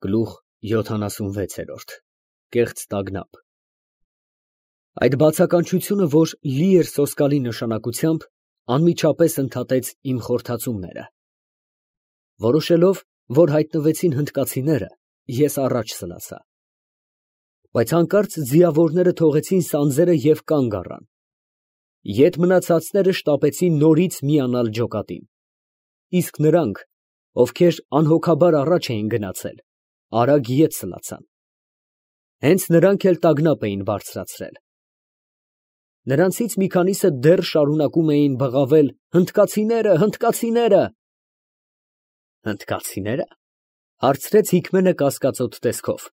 Գլուխ 76 Կեղծ տագնապ։ Այդ բացականչությունը, որ լի էր սոսկալի նշանակությամբ, անմիջապես ընդհատեց իմ խորթացումները։ Որոշելով, որ հայտնվեցին հնդկացիները, ես առաջ սլացա։ Բայց հանկարծ ձիավորները թողեցին սանձերը և կանգ առան։ Ետ մնացածները շտապեցին նորից միանալ ջոկատին, իսկ նրանք, ովքեր անհոգաբար առաջ էին գնացել, արագ ետ սլացան։ Հենց նրանք էլ տագնապ էին բարձրացրել։ Նրանցից մի քանիսը դեռ շարունակում էին բղավել. «Հնդկացիները, հնդկացիները»։ «Հնդկացի՞ները», հարցրեց Հիկմենը կասկածոտ տեսքով։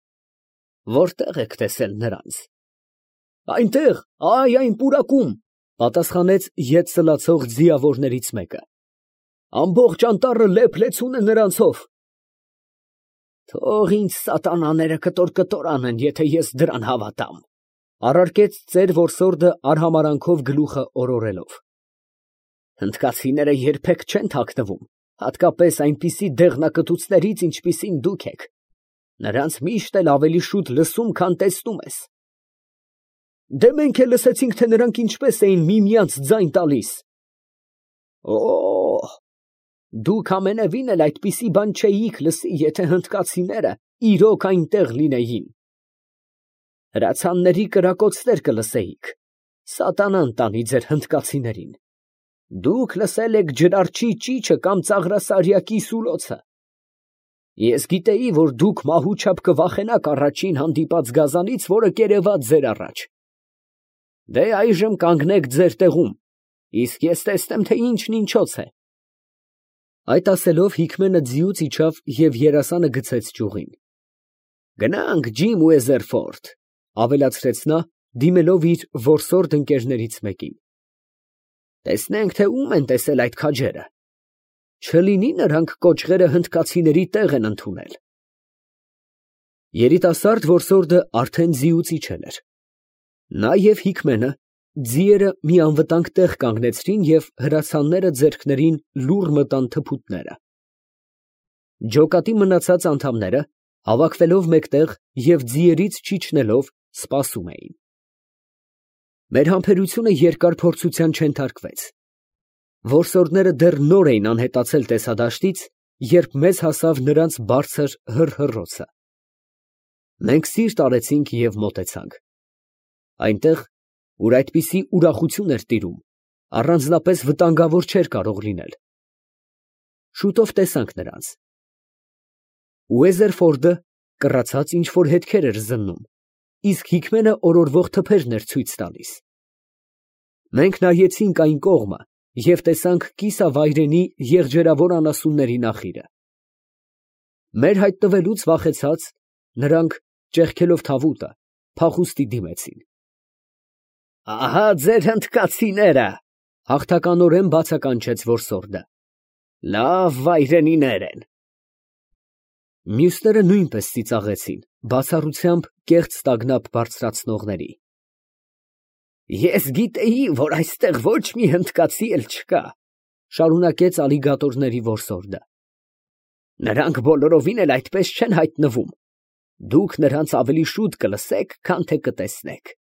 «Որտե՞ղ եք տեսել նրանց»։ «Այնտեղ, այն պուրակում», պատասխանեց ետ սլացող ձիավորներից մեկը։ «Ամբողջ անտառը լեփ֊լեցուն է նրանցով»։ «Թող ինձ սատանաները կտոր անեն, եթե ես դրան հավատամ», առարկեց ծեր որսորդը արհամարանքով գլուխը օրորելով։ «Հնդկացիները երբեք չեն թաքնվում, հատկապես այնպիսի դեղնակտուցներից, ինչպիսին դուք եք. նրանց միշտ էլ ավելի շուտ լսում, քան տեսնում ես»։ «Դե մենք էլ լսեցինք, թե նրանք ինչպես էին միմյանց ձայն տալիս»։ «Օ՜, դուք ամենևին էլ այդպիսի բան չէիք լսի, եթե հնդկացիները իրոք այնտեղ լինեին։ Հրացանների կրակոցներ կլսեիք, սատանան տանի ձեր հնդկացիներին։ Դուք լսել եք ջրարչի ճիչը կամ ծաղրասարյակի սուլոցը։ Ես գիտեի, որ դուք մահու չափ կվախենաք առաջին հանդիպած գազանից, որը կերևաց ձեր առաջ։ Դե այժմ կանգնեք ձեր տեղում, իսկ ես տեսնեմ, թե ինչն ինչոց է»։ Այդ ասելով Հիկմենը ձիուց իջավ և երասանը գցեց ճյուղին։ «Գնանք, Ջիմ Ուեզերֆորդ», ավելացրեց նա, դիմելով իր որսորդ ընկերներից մեկին։ «Տեսնենք, թե ում են տեսել այդ քաջերը։ Չլինի նրանք կոճղերը հնդկացիների տեղ են ընդունել»։ Երիտասարդ որսորդը արդեն ձիուց իջել էր։ Նա և Հիկմենը ձիերը մի անվտանգ տեղ կանգնեցրին և հրացանները ձեռքներին լուռ մտան թփուտները։ Ջոկատի մնացած անդամները, հավաքվելով մեկտեղ և ձիերից չիջնելով, սպասում էին։ Մեր համբերությունը երկար փորձության չենթարկվեց։ Որսորդները դեռ նոր էին անհետացել տեսադաշտից, երբ մեզ հասավ նրանց բարձր հռհռոցը։ Մենք սիրտ արեցինք և մոտեցանք։ Այնտեղ, ուր այդպիսի ուրախություն էր տիրում, առանձնապես վտանգավոր չէր կարող լինել։ Շուտով տեսանք նրանց։ Ուեզերֆորդը կռացած ինչ֊որ հետքեր էր զննում, իսկ Հիկմենը օրորվող թփերն էր ցույց տալիս։ Մենք նայեցինք այն կողմը և տեսանք կիսավայրենի եղջերավոր անասունների նախիրը։ Մեր հայտնվելուց վախեցած, նրանք, ճեղքելով թավուտը, փախուստի դիմեցին։ «Ահա ձեր հնդկացիները», հաղթականորեն բացականչեց որսորդը։ «Լավ վայրենիներ են»։ Մյուսները նույնպես ծիծաղեցին, բացառությամբ կեղծ տագնապ բարձրացնողների։ «Ես գիտեի, որ այստեղ ոչ մի հնդկացի էլ չկա», շարունակեց ալիգատորների որսորդը։ «Նրանք բոլորովին էլ այդպես չեն հայտնվում։ Դուք նրանց ավելի շուտ կլսեք, քան թե կտեսնեք։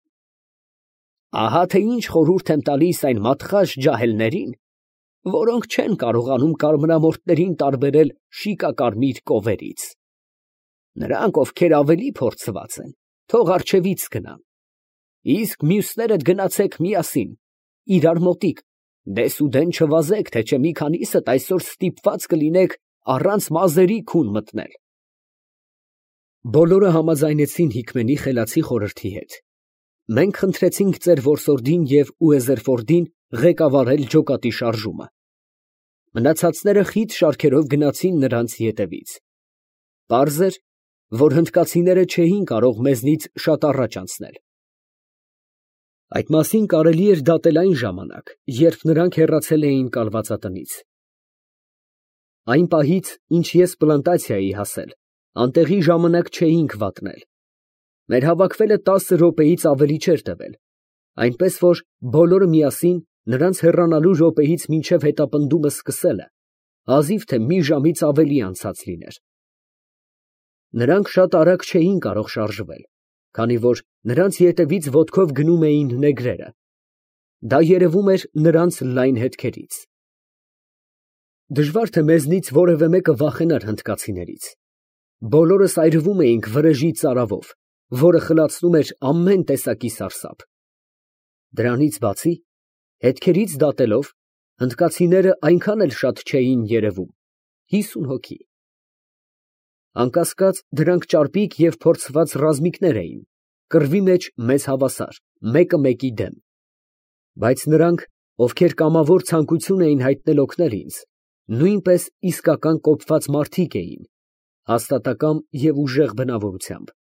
Ահա թե ինչ խորհուրդ եմ տալիս այն մատխաշ ջահելներին, որոնք չեն կարողանում կարմրամորթներին տարբերել շիկակարմիր կովերից։ Նրանք, ովքեր ավելի փորձված են, թող առջևից գնան, իսկ մյուսներդ գնացեք միասին, իրար մոտիկ, դեսուդեն չվազեք, թե չէ մի քանիսդ այսօր ստիպված կլինեք առանց մազերի քուն մտնել»։ Բոլորը համաձայնեցին Հիկմենի խելացի խորհրդի հետ։ Մենք խնդրեցինք ծեր որսորդին և Ուեզերֆորդին ղեկավարել ջոկատի շարժումը։ Մնացածները խիտ շարքերով գնացին նրանց ետևից։ Պարզ էր, որ հնդկացիները չէին կարող մեզնից շատ առաջ անցնել։ Այդ մասին կարելի էր դատել այն ժամանակ, երբ նրանք հեռացել էին կալվածատնից։ Այն պահից, ինչ ես պլանտացիայի հասել, անտեղի ժամանակ չէինք վատնել։ Մեր հավաքվելը 10 րոպեից ավելի չէր տևել, այնպես որ բոլորը միասին նրանց հեռանալու րոպեից մինչև հետապնդումը սկսելը հազիվ թե մի ժամից ավելի անցած լիներ։ Նրանք շատ արագ չէին կարող շարժվել, քանի որ նրանց ետևից ոտքով գնում էին նեգրերը. դա երևում էր նրանց լայն հետքերից։ Դժվար թե մեզնից որևէ մեկը վախենար հնդկացիներից։ Բոլորս այրվում էինք վրեժի ծարավով, որը խլացնում էր ամեն տեսակի սարսափ։ Դրանից բացի, հետքերից դատելով, հնդկացիները այնքան էլ շատ չէին երևում, 50 հոգի։ Անկասկած, դրանք ճարպիկ և փորձված ռազմիկներ էին, կռվի մեջ մեծ հավասար, մեկը մեկի դեմ։ Բայց նրանք, ովքեր կամավոր ցանկություն էին հայտնել օգնել ինձ, նույնպես իսկական կոպված մարդիկ էին, հաստատակամ և ուժեղ բնավորությամբ։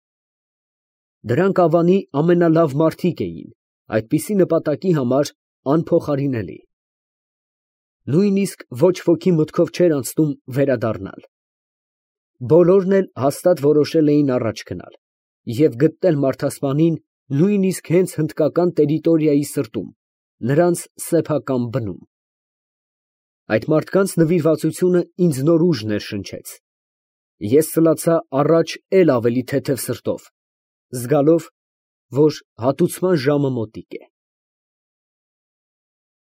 Դրանք Ավանի ամենալավ մարդիկ էին, այդպիսի նպատակի համար անփոխարինելի։ Նույնիսկ ոչ ոքի մտքով չէր անցնում վերադառնալ։ Բոլորն էլ հաստատ որոշել էին առաջ գնալ և գտնել մարդասպանին նույնիսկ հենց հնդկական տերիտորիայի սրտում, նրանց սեփական բնում։ Այդ մարդկանց նվիրվածությունը ինձ նոր ուժ ներշնչեց։ Ես սլացա առաջ էլ ավելի թեթև սրտով, զգալով, որ հատուցման ժամը մոտիկ է։